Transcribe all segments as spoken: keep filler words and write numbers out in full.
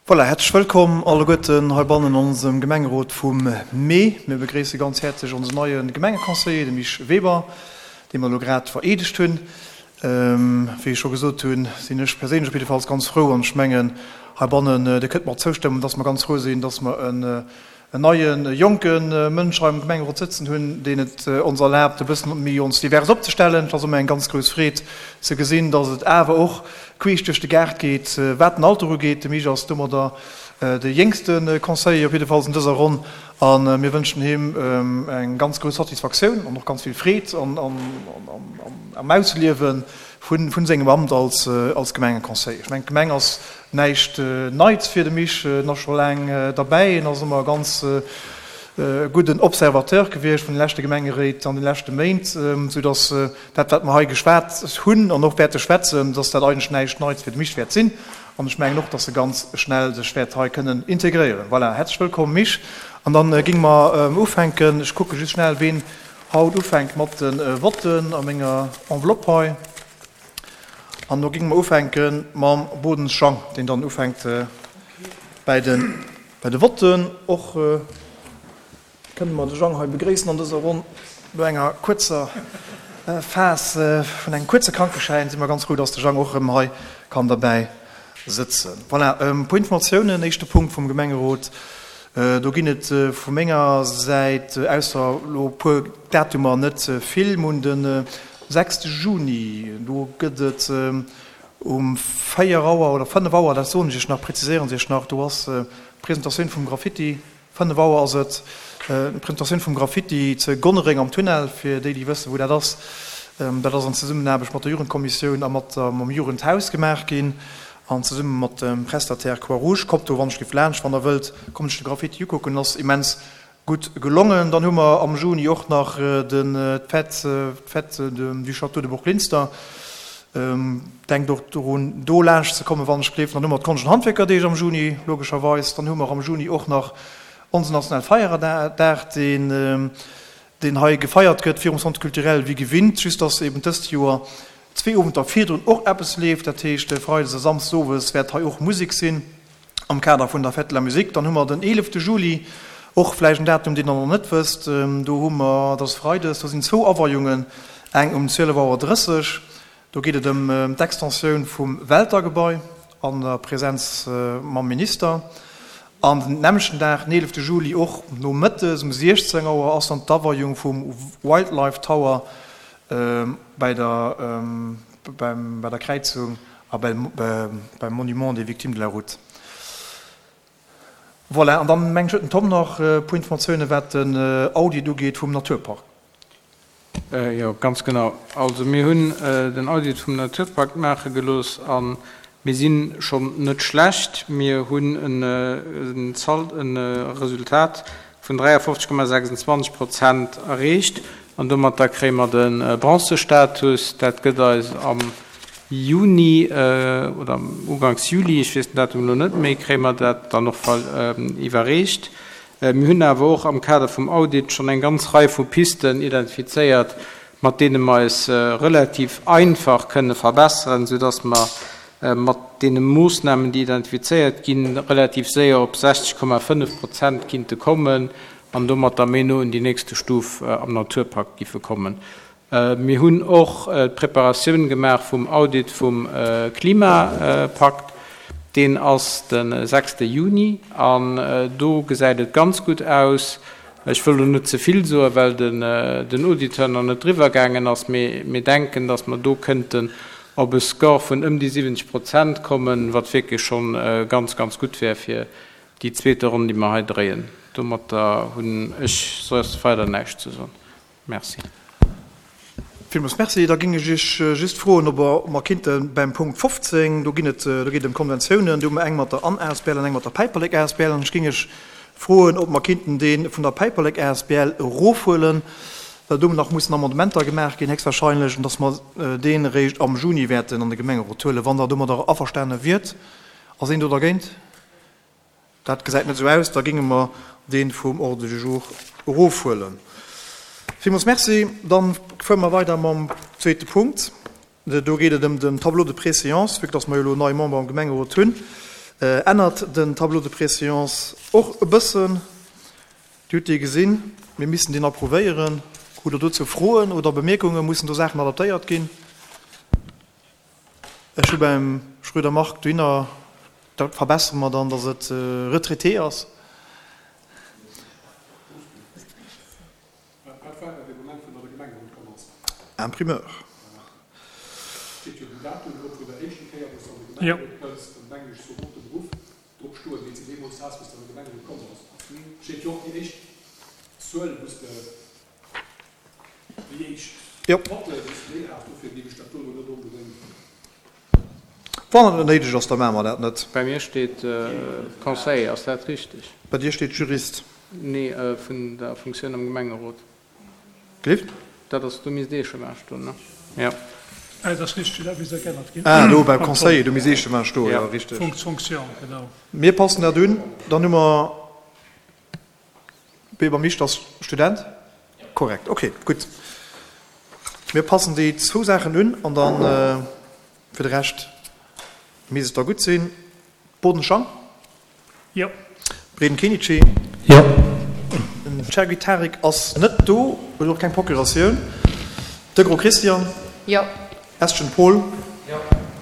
Voilà, häerzlech wëllkomm alleguerten heibannen an onsem Gemengerot vum Mee. Mir begréisse ganz häerzlech onsen neie Gemengeconseiller, de Misch Weber, dee mer elo grad vereedegt hunn. Wéi ech scho gesot hunn, sinn ech perséinlech op jiddefalls ganz frou an ech mengen heibannen, Dir kënnt mer och zoustëmmen, dass mer ganz frou sinn, dass mer en en neien, jonke Mënsch hei am Gemengerot sëtzen hunn, deen et ons erlaabt, e bëssen méi ons divers opzestellen. Et ass ëmmer eng ganz grouss Freed ze gesinn, dass et awer och queesch duerch de Gaart geet, wat den Alter ugeet. De Misch ass domadder de jéngste Conseiller, op jiddefalls an dëser Ronn, a mir wënschen him eng ganz grouss Satisfaktioun an och ganz vill Freed am Ausliewe vun sengem Amt als Gemengeconseiller. Ech mengen, d'Gemeng ass näischt Neits fir de Misch, en ass scho laang derbäi, en ass ëmmer e ganz gudden Observateur gewiescht vun de leschte Gemengeréit an de leschte Méint, soudass dat, wat mer hei geschwat hunn an och wäerte schwätzen, dass dat eigentlech näischt Neits fir de Misch wäert sinn. An ech mengen och, dass e ganz schnell sech wäert hei kënnen integréieren. Voilà, häerzlech wëllkomm, Misch. An da géinge mer ufänken. Ech kucke just schnell, ween haut ufänkt mat de Votten a menger Enveloppe hei. An do géinge mer ufänke mam Bodens Jang, deen dann ufänkt bäi de bei de Votten. Och kënne mer de Jang hei begréissen an dëser Ronn. No enger kuerzer Phas vun engem kuerze Krankeschäin si mer ganz frou, dass de Jang och erëm hei kann derbäi sëtzen. Voilà, e puer Informatiounen. Éischte Punkt vum Gemengerot, do ginn et vu menger Säit, ausser elo e puer Datumer, net vill. Mir hunn de sechste Juni, do gëtt et um véier Auer oder fënnef Auer, dat soen ech Iech nach, präziséieren ech Iech nach, do ass d'Presentatioun vum Graffiti, fënnef Auer ass et, d'Presentatioun vum Graffiti ze Gonnereng am Tunnel, fir déi, déi wëssen, wou dat ass. Dat ass an Zesummenaarbecht mat der Jugendkommissioun a mat der, mam Jugendhaus gemaach ginn an zesumme mat dem Prestataire Croix-Rouge. Kommt do wann ech géif laanscht, wann Der wëllt, kommt Iech de Graffiti ukucken, ass immens Gutt gelongen. Dann hu mer am Juni och nach den d'Fête, d'Fête du Château de Bourglinster. Denkt och dorun, do laanscht ze kommen, wann ech gleef. Dann hu mer d'Konscht an Handwierkerdeeg am Juni, logescherweis. Dann hu mer am Juni och nach onsen nationale Feierdag, deen, deen hei gefeiert gëtt virum Centre culturel wéi gewinnt, just dass eben dëst Joer zwee Owenter virdrun och eppes leeft. Dat heescht, freides a samsdes owes wäert hei och Musek sinn. Am Kader vun der Fête de la Musique. Dann hu mer den eelefte Juli, och vläicht en Datum, deen Der nach net wësst. Do hu mer, dat ass freides, do sinn zwou Aweiungen, eng um zwielef Auer drësseg, do geet et ëm d'Extensioun vum Welter-Gebai an der Präsenz mam Minister. An den nämmlechten Dag, den eelefte Juli, och nomëttes um siechzéng Auer, ass dann d'Aweiung vum Wildlife Tower bäi der, bei der Kräizung a beim Monument des Victimes de la Route. Voilà, an dann mengen ech huet den Tom nach e puer Informatiounen, wat den Audit ugeet vum Naturpark. Jo, ganz genau. Also mir hunn den Audit vum Naturpakt maache gelooss a mir si schonn net schlecht. Mir hunn en Resultat vun dräiafofzeg Komma sechsundzwanzeg Prozent erreecht an domatter kréie mer de Bronzestatus. Dat gëtt eis am Juni oder uganks Juli, ech weess den Datum elo net méi, kréie mer dat dann och iwwerreecht. Mir hunn awer och am Kader vum Audit schonn eng ganz Rei vu Pisten identifizéiert, mat deene mer eis relativ einfach kënne verbesseren, soudass mer mat deene Moossnamen, déi identifizéiert ginn, relativ séier op sechzeg Komma fënnef Prozent kinnte kommen an domatter méi no un déi nächste Stuf am Naturpakt giffe kommen. Mir hunn och d'Preparatioun gemaach vum Audit vum Klimapakt. Deen ass de sechste Juni an do gesäit et ganz gutt aus. Ech wëll elo net ze vill soen, well den Auditeur nach net driwwer gaangen ass, mee mir denken, datt mer do kënnten op e Score vun ëm déi siwwenzeg Prozent kommen, wat wierklech schonn ganz, ganz gutt wär fir déi zweete Ronn, déi mer hei dréien. Domatter hunn ech soss weider näischt ze soen. Merci. Villmools Merci. Da géing ech Iech just froen, ob mer kinnte beim Punkt fofzéng, do ginn et, do geet et ëm Konventiounen, do hu mer eng mat der Ann asbl an eng mat der Päiperlek asbl, an ech géing Iech froen, ob mer kinnten dee vun der Päiperlek asbl erofhuelen, well do nach mussen Amendementer gemaach ginn héchstwahrscheinlech, an dass mer deen eréischt am Juni wäerten an de Gemengerot huelen, wann Der domadder averstane wiert. Ass een do dergéint? Dat gesäit net esou aus. Da géinge mer dee vum Ordre du jour erofhuelen. Villmools Merci. Da fuere mer weider mam zweete Punkt. Do geet et ëm den Tableau de préséance. Vue que dass mer jo elo nei Member am Gemengerot hunn, Ännert den Tableau de préséance och e bëssen. Dir hutt dee gesinn. Mir missten deen approuvéieren. Hutt Der dozou Froen oder Bemierkungen? Mussen do Saachen adaptéiert ginn? Ech hu beim Schröder Marc dohinner, dat verbessere mer dann, datt et retraité ass. Wat war dat dee Moment, wou Der an de Gemengerot komm ass? Imprimeur. Steet jo den Datum drop vun der éischten Kéier, wou s de an de Gemengerot kënns, dann denken ech, sollt och de Beruff drop stoen, deen s de deemools has, wou s de an de Gemengerot komm bass. Steet jo och déi éischt Zuel, wou s de, déi éischt Notte, wou s de déi has. Dofir géif ech dat do elo net onbedéngt. Wann et net néideg ass, da maache mer dat net. Bei mir steet Conseiller, ass dat richteg? Bei dir steet Jurist. Nee, vun der Funktioun am Gemengerot. Gelift? Dat ass, do misst Echemin stoen, ne? Jo. Dat ass richteg, dat misst da geännert ginn. Ah, do beim Conseiller, do misst Echemin stoen, jo, richteg. Fonction, genau. Mir passen dat un. Dann hu mer Weber Misch, ass Student? Korrekt, okay, gutt. Mir passen déi zwou Saachen un an dann fir de Rescht misst et da gutt sinn. Bodenschang? Jo. Breden Kenichi? Jo. Den Chergui Tarik ass net do, huet och keng Procuratioun. Degros Christian? Jo. Estgen Paul? Jo.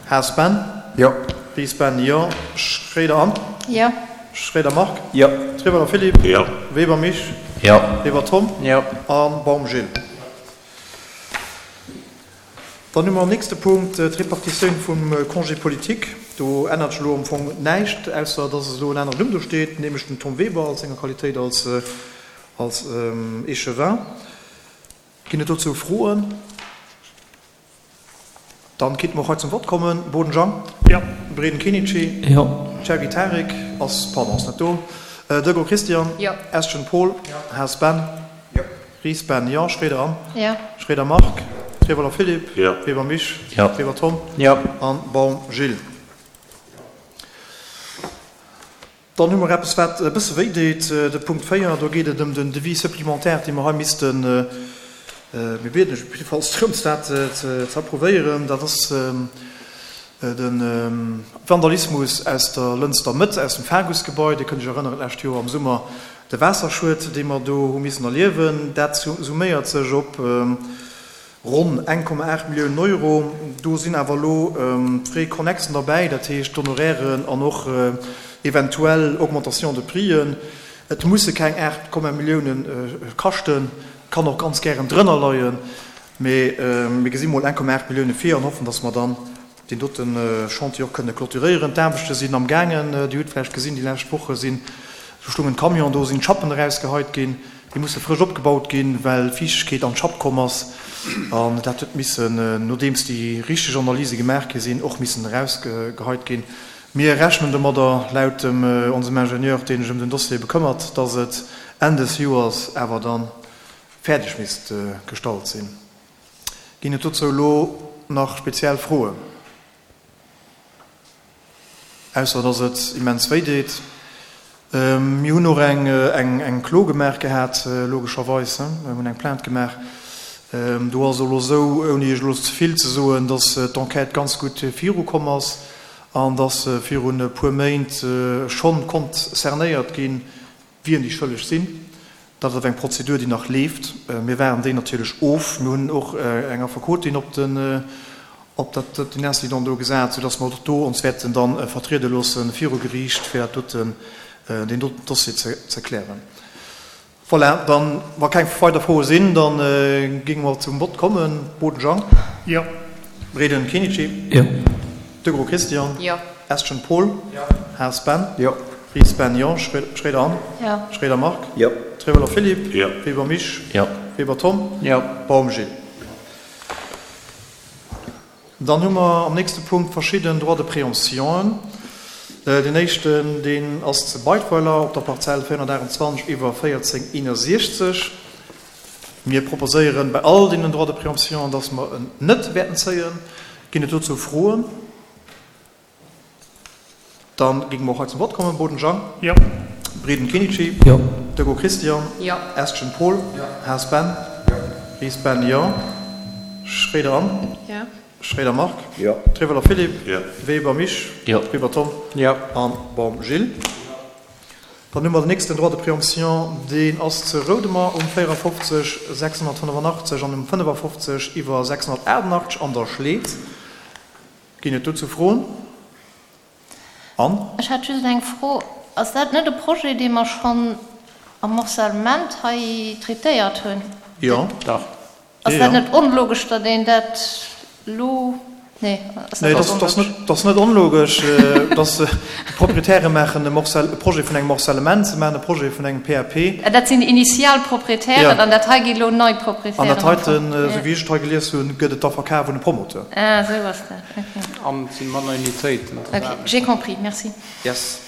Haas Ben? Jo. Ries Ben, jo. Schréider Anne? Jo. Schréider Marc? Jo. Treweiler Philippe? Jo. Weber Mich? Jo. Weber Tom? Jo. A Baum Gilles. Dann hu mer am nächste Punkt d'Repartitioun vum Congé politique. Do ännert sech elo am Fong näischt, ausser dass elo en aneren Numm do steet, nämlech den Tom Weber als senger Qualitéit als als Échevin. Ginn et dozou Froen? Dann kéinte mer och hei zum Vott kommen. Boden Jang? Jo. Breden Kenichi? Jo. Chergui Tarik ass, pardon, ass net do. Degros Christian? Jo. Estgen Paul? Jo. Haas Ben? Jo. Ries Ben, jo. Schroeder Anne? Jo. Schroeder Marc? Treweiler Philippe? Jo. Weber Mich? Jo. Weber Tom? Jo. An Baum Gilles. Dann hu mer eppes, wat e bësse wéi deet, de Punkt véier. Do geet et ëm den Devis supplémentaire, dee mer hei missten, mir bieden lech op jidde Falls drëms, dat ze approuvéieren. Dat ass de Vandalismus aus der Lënster Mëtt, aus dem Fagus-Gebai. Dir kënnt Iech erënneren, d'lescht Joer am Summer, de Waasserschued, dee mer do hu missen erliewen. Dat summéiert sech op ronn eng Komma aacht Milliounen Euro. Do sinn awer elo d'Frais connexen derbäi, dat heescht d'Honorairen an och eventuell Augmentation de prixen. Et musse keng aacht Komma Milliounen kaschten, kann och ganz gären drënner leien, mee mir gesi mol eng Komma aacht Millioune vir an hoffen, dass mer dann deen dote Chantier och kënne clôturéieren. D'Aarbechte sinn am gaangen. Dir hutt vläicht gesinn, déi lescht Woche sinn, do stoung en Camion, do sinn d'Schappen erausgeheit ginn. Déi musse frësch opgebaut ginn, well Fiichtegkeet an d'Schapp komm ass. An dat huet missen, nodeems déi richteg Analyse gemaach gi sinn, och missen erausgeheit ginn. Mir rechnen domadder, laut dem onsem Ingenieur, deen sech ëm den Dossier bekëmmert, dass et Enn des Joers awer da fäerdeg misst gestallt sinn. Ginn et dozou elo nach speziell Froen? Ausser dass et immens wéi deet. Mir hunn och eng Klo gemaach gehat, logescherweis. Mir hunn eng Plainte gemaach. Do ass et elo esou, ouni Iech elo ze vill ze soen, dass d'Enquête ganz gutt virukomm ass an dass virun e puer Méint schonn konnt cernéiert ginn, wien déi Schëlleg sinn. Dat ass awer eng Prozedur, déi nach leeft. Mir waarden déi natierlech of. Mir hunn och eng Affekotin op den, op dat, den Incident do gesat, soudass mer och do ons wäerten dann vertriede loosse viru Geriicht, fir dat doten, deen doten Dossier ze, ze klären. Voilà, dann, wa keng weider Froe sinn, da géinge mer zum Vott kommen. Boden Jang. Jo. Breden Kenichi. Jo. Degros Christian. Jo. Estgen Paul. Jo. Haas Ben. Jo. Ries Ben, jo. Schroeder Anne. Jo. Schroeder Marc. Jo. Treweiler Philippe. Jo. Weber Mich. Jo. Weber Tom. Jo. Baum Gilles. Dann hu mer am nächste Punkt verschidden Droits de préemptionen. Deen éischten, deen ass zu Beidweiler op der Parzell véierhonnertaachtundzwanzeg iwwer véierzéng eenundsechzeg. Mir proposéieren bei all deenen Droits de préemption, dass mer en net wäerten zéien. Ginn et dozou Froen? Dann géinge mer och hei zum Vott kommen. Boden Jang? Jo. Breden Kenichi? Jo. Degos Christian? Jo. Estgen Paul? Jo. Haas Ben? Jo. Ries Ben, jo. Schroeder Anne? Jo. Schroeder Marc. Jo. Trevelo Philippe. Jo. Weber Mich. Jo. Weber Tom. Jo. An Baum Gilles. Dann hu mer den nächsten Droit de préemption, deen ass zu Roudemer um véierafofzeg sechshonnertfënnefanachteg an um fënnefafofzeg iwwer sechshonnertaachtenachtzeg an der Schleed. Ginn et dozou Froen? Anne? Ech hätt just eng Fro. Ass dat net e Projet, dee mer schonn am Morcellement hei traitéiert hunn? Jo. Dach. Ass dat net onlogesch, datt een dat elo, nee, ass dat Nee, net dat ass onlogesch? net, dat ass net onlogesch, dass d'Proprietäre maachen e Morcel, e Projet vun engem Morcellement, se maachen e Projet vun engem P A P. Ah, dat sinn déi initial Proprietären Ja. an dat hei gi elo nei An Proprietären dat am heiten, Fong. esou wéi ech et hei gelies hunn, gëtt et da verkaf un e Promoteur. Ah, esou ass dat, okay. An et si manner Unitéiten. Ok, j'ai compris, merci. Yes.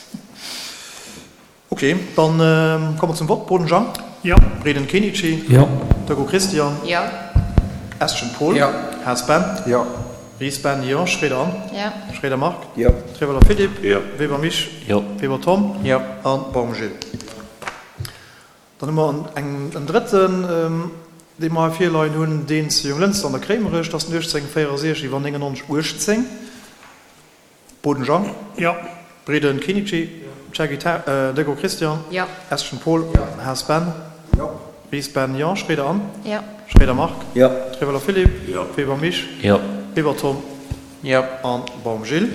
Ok, dann komme mer zum Vott. Boden Jean. Jo. Breden Kenichi. Jo. Deco Christian. Jo. Eschen Paul. Jo. Haas Ben. Jo. Ries Ben, jo. Schroeder Anne. Jo. Schroeder Marc. Jo. Treveler Philippe. Jo. Weber Mich. Jo. Weber Tom. Jo. An Baum Gilles. Dann hu mer en, en drëtten, dee mer hei virleien hunn, deen zu Jonglënster an der Kréimerech, dat ass den uechtzéng véierundsechzeg iwwer néngennonzeg uechtzéng. Boden Jean. Jo. Breden Kenichi. Shaggy Ta, Deco Christian. Jo. Eschen Paul. Haas Ben. Jo. Ries Ben, jo. Schroeder Anne. Jo. Schroeder Marc. Jo. Treveler Philippe. Jo. Weber Mich. Jo. Weber Tom. Jo. An Baum Gilles.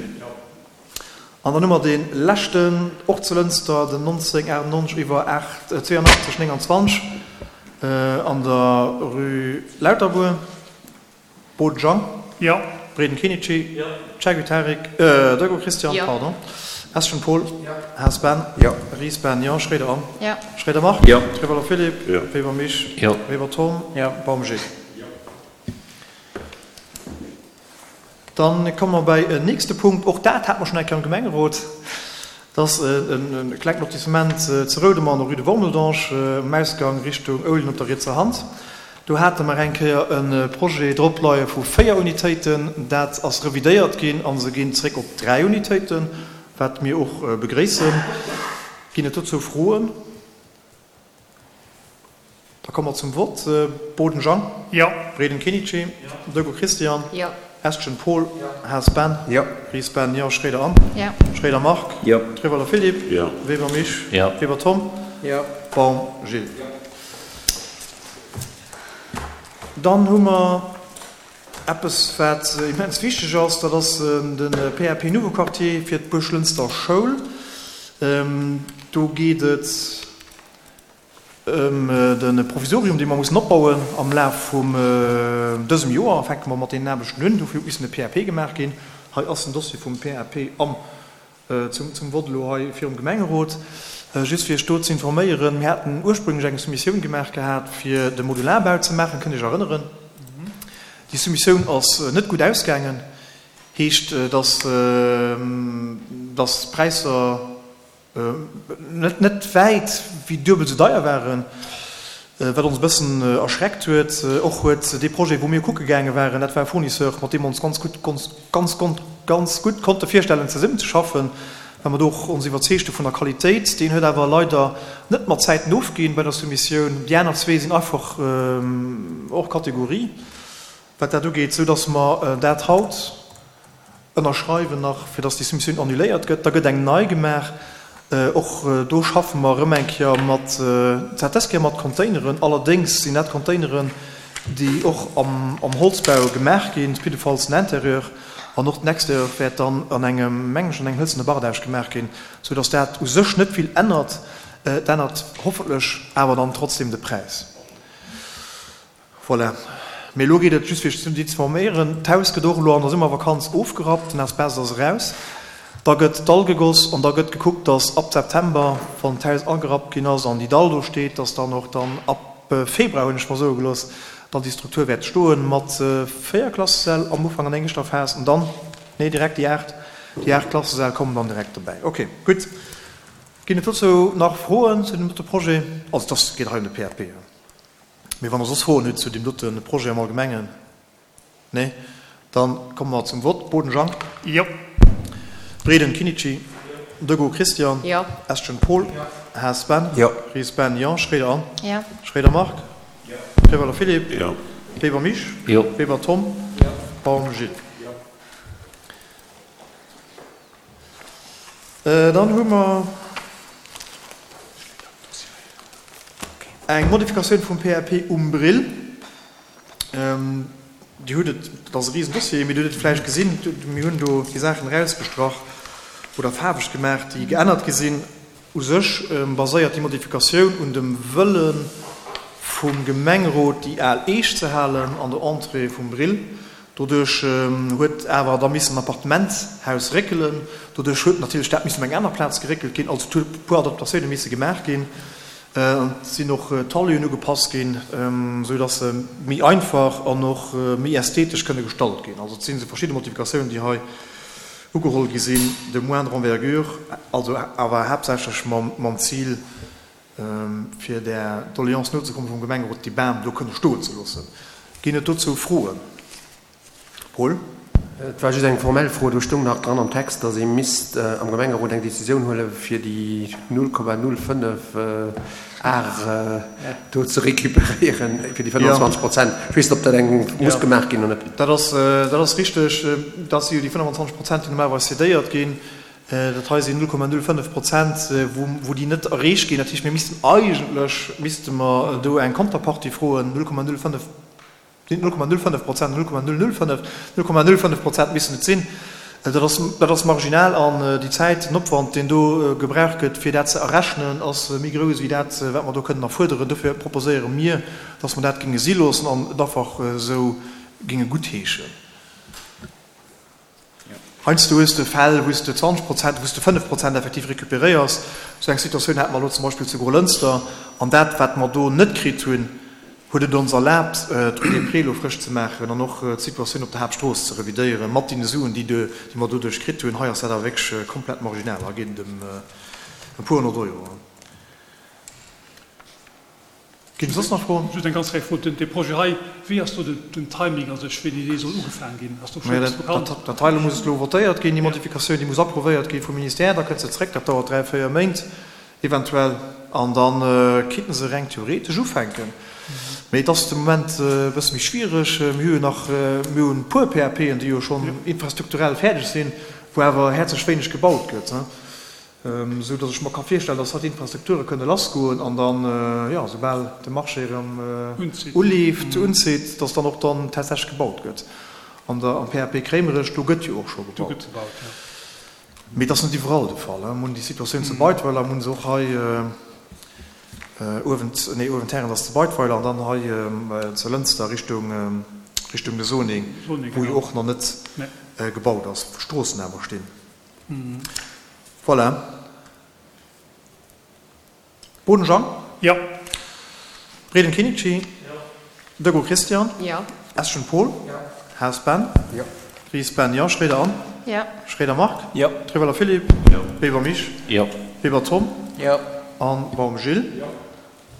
An dann hu mer dee leschten, och zu Lënster, den nonzéng achtennonzeg iwwer acht, zweeënachtzeg nénganzwanzeg, an der Rue Lauterbour. Boden Jean. Jo. Breden Kenichi. Jo. Shaggy Tarik, Deco Christian, Jo. pardon. Eschen Paul. Jo. Haas Ben. Jo. Ries Ben, jo. Schroeder Anne. Jo. Schroeder Marc. Jo. Treveler Philippe. Jo. Weber Mich. Jo. Weber Tom. Jo. Baum Gilles. Dann komme mer bei en nächste Punkt. Och dat hat mer schonn eng Kéier am Gemengerot. Dat ass en klengt Lotissement zu Roudemer an der Rue de Wormeldange, um Ausgang Richtung Ouljen op der rietser Hand. Do hate mer eng Kéier e Projet drop leie vu véier Unitéiten. Dat ass revidéiert ginn a se ginn zréck op dräi Unitéiten, wat mir och begréissen. Ginn et dozou Froen? Da komme mer zum Vott. Boden Jean. Jo. Breden Kenichi. Deco Christian. Jo. Eschen Paul. Haas Ben. Jo. Ries Ben, jo. Schroeder Anne. Jo. Schroeder Marc. Jo. Treveler Philippe. Jo. Weber Mich. Jo. Weber Tom. Jo. Baum Gilles. Dann hu mer eppes, wat immens wichteg ass, dat ass de P A P Nouveau Quartier fir d'Buerglënster Schoul. Do geet et ëm de Provisorium, dee mer mussen opbauen am Laf vum dësem Joer. Fänke mer mat den Aarbechten un, dofir huet missen de P A P gemaach ginn. Hei ass den Dossier vum P A P am, zum, zum Vott elo hei virum Gemengerot. Just fir iech do ze informéieren, mir haten ursprünglech eng Soumissioun gemaach gehat, fir de Modularbau ze maachen, kënnt Iech erënneren. Déi Soumissioun ass net gutt ausgaangen, heescht, dass, dass d'Präisser net, net wäit wéi duebel sou deier waren, wat ons e bëssen erschreckt huet. Och huet dee Projet, wou mir kucke gaange waren, dat war e Fournisseur, mat deem ons ganz gutt, ganz, ganz, ganz gutt konnte virstellen, zesummen ze schaffen, well mer do och ons iwwerzeegte vun der Qualitéit. Deen huet awer leider net mat Zäiten ofginn bei der Soumissioun. Déi aner zwee sinn einfach hors Kategorie, wat dat ugeet, sou dass mer dat haut ënnerschreiwen nach, fir dass déi Soumissioun annuléiert gëtt. Da gëtt eng nei gemaach. Och do schaffe mer erëm eng Kéier mat, dat dës Kéier mat Containeren. Allerdéngs sinn dat Containeren, déi och am, am Holzbau gemaach ginn, jiddefalls den Interieur. An och den Exterieur wäert dann an engem, mengen ech, an engem hëlzene Bardage gemaach ginn, sou dass dat u sech net vill ännert. Et ännert hoffentlech awer dann trotzdem de Präis. Voilà. Mee elo geet et just fir ze informéieren. D'Haus gëtt och elo an der Summervakanz ofgerappt, den Asbest ass eraus. Da gëtt Dall gegoss an da gëtt gekuckt, dass ab September, wann d'Haus agerappt ginn ass an déi Dall do steet, dass dann och dann ab Februar, hunn ech mer soe gelooss, dann déi Struktur wäert stoen mat véier Klassesäll am Ufank an engeschter Phas an dann, nee, direkt déi aacht, déi aacht Klassesäll kommen dann direkt dobäi. Okay, gutt. Ginn et dozou nach Froen zu dem dote Projet? Also das geet hei ëm de P A P. Mee wann der soss Froen hutt zu dem dote Projet am Allgemengen, nee, dann komme mer zum Vott. Boden Jean. Jo. Breden Kinichi. Deco Christian. Jo. Eschen Paul. Haas Ben. Jo. Ries Ben, jo. Schroeder Anne. Jo. Schroeder Marc. Jo. Treveler Philippe. Jo. Weber Mich. Jo. Weber Tom. Jo. Baum Gilles. Dann hu mer eng Modifikatioun vum P A P um Brill. Dir hutt et, dat ass e Risendossier, mee Dir hutt et vläicht gesinn, mir hunn do déi Saachen erausgestrach oder faarweg gemaach, déi geännert gi sinn. U sech baséiert déi Modifikatioun un dem Wëlle vum Gemengerot, déi al Eech ze halen an der Entrée vum Brill. Doduerch huet awer da missen en Appartementshaus réckelen. Doduerch huet natierlech dat missen op eng aner Plaz geréckelt ginn. Also et hu e puer Adaptatioune misse gemaach ginn. Et sinn och d'Taluen ugepasst ginn, esou datt se méi einfach an och méi ästhetesch kënne gestalt ginn. Also et sinn esou verschidde Modifikatiounen, déi hei ugeholl gi sinn, de moindre envergure, also awer haaptsächlech mam Zil, fir där Doleance nozekommen vum Gemengerot, déi Bam do kënne stoen ze loossen. Ginn et dozou Froen? Paul? Et war just eng formell Fro. Do stoung nach dran am Text, datt ee misst am Gemengerot eng Décisioun huelen, fir déi null Komma null fënnef Ar do ze récupéréieren, fir déi fënnwanzwanzeg Prozent. Ech weess net, ob dat eng muss gemaach ginn oder net. Dat ass, dat ass richteg. Dat si jo déi fënnwanzwanzeg Prozent, déi normalerweis cédéiert ginn. Dat hei sinn null Komma null fënnef Prozent, wou, wou déi net erreecht ginn. Dat heescht, mir missten eigentlech, misste mer do eng Konterpartie froen, null Komma null fënnef, null Komma null fënnef Prozent, null Komma null null fënnef, null Komma null fënnef Prozent missten et sinn. Dat ass, dat ass marginal an déi Zäit, den Opwand, deen do gebraucht gëtt, fir dat ze errechnen, ass méi grouss wéi dat, wat mer do kënnen erfuerderen. Dofir proposéiere mir, dass mer dat géinge si loossen an et einfach esou géinge guttheeschen. Heiansdo hues de Fäll, wou s de zwanzeg Prozent, wou s de fënnef Prozent effektiv récupéréiers. Esou eng Situatioun hate mer elo zum Beispill zu Grolënster. An dat, wat mer do net kritt hunn, huet et ons erlaabt, d'Rue des Prés elo frësch ze maachen an och d'Situatioun op der Haaptstrooss ze revidéieren, mat deene Suen, déi déi mer doduerch kritt hunn. Hei ass dat awer wierklech komplett marginal. Hei geet et ëm e puer honnert Euro. Ginn et soss nach Froen? Just eng ganz kleng Fro, dee Projet hei, wéi ass do den Timing, also ech wéini dee soll ugefaang ginn? Ass do schonn eppes bekannt? Dat hei elo muss elo votéiert ginn, déi Modifikatioun, déi muss approuvéiert gi vum Ministère, da kënnt se zréck, dat dauert dräi, véier Méint eventuell, an da kinnte se reng theoretesch ufänken. Mee et ass de Moment e bësse méi schwiereg. Mir hu jo nach, mir hunn e puer P A P'en, déi jo schonn infrastrukturell fäerdeg sinn, wou awer häerzlech wéineg gebaut gëtt. Esou datt ech mer ka virstellen, datt hatt d'Infrastrukture kënne lassgoen an dann, jo, soubal de Marché erëm uleeft, unzitt, datt dann och dann tatsächlech gebaut gëtt. An der, am P A P Kréimerech, do gëtt jo och scho gebaut. Mee et ass net iwwerall de Fall. Mir hunn déi Situatioun zu Beidweiler, mir hunn se och hei uewent, nee, uewent Härent ass zu Beidweiler an dann hei zu Lënster Richtung, Richtung de Soning, wou jo och nach net gebaut ass, wou Stroossen awer stinn. Voilà. Boden Jean. Jo. Breden Kinichi. Jo. Dego Christian. Jo. Eschen Paul. Jo. Haas Ben. Jo. Ries Ben, jo. Schroeder Anne. Jo. Schroeder Marc. Jo. Trewelle Philippe. Jo. Weber Mich. Jo. Weber Tom. Jo. An Baum Gilles. Jo.